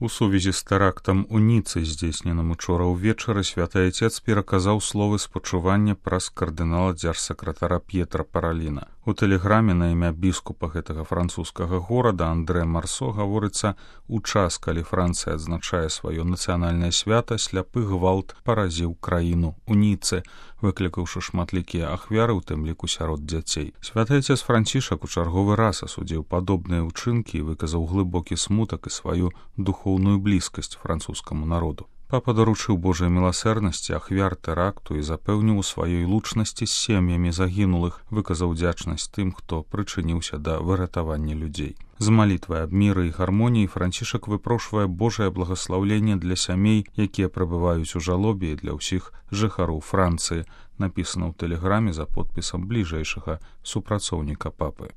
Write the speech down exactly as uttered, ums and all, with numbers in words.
У сувязі з тэрактам у Ніцы, здзейсненым учора ўвечары, святы айцец пераказаў словы спачування праз кардынала дзяржсакратара П'етра Параліна. У тэлеграме на імя біскупа гэтага французскага горада Андре Марсо гаворыцца: у час, калі Францыя адзначае сваё нацыянальнае свята, сляпы гвалт паразіў краіну у Ніцы, выклікаўшы шматлікія ахвяры, у тым ліку сярод дзяцей. Святы айцец Францішак у чарговы раз асудзіў падобныя ўчынкі і выказаў глыбокі смутак і сваю духоўную блізкасць французскаму народу. Папа даручыў Божай міласэрнасці ахвяр тэракту і запэўніў у сваёй лучнасці з сем'ямі загінулых, выказаў удзячнасць тым, хто прычыніўся да выратавання людзей. З малітвай аб міры і гармоніі Францішак выпрошвае Божае благаслаўленне для сямей, якія прабываюць у жалобе, і для ўсіх жыхароў Францыі, напісана ў тэлеграме за подпісам бліжэйшага супрацоўніка папы.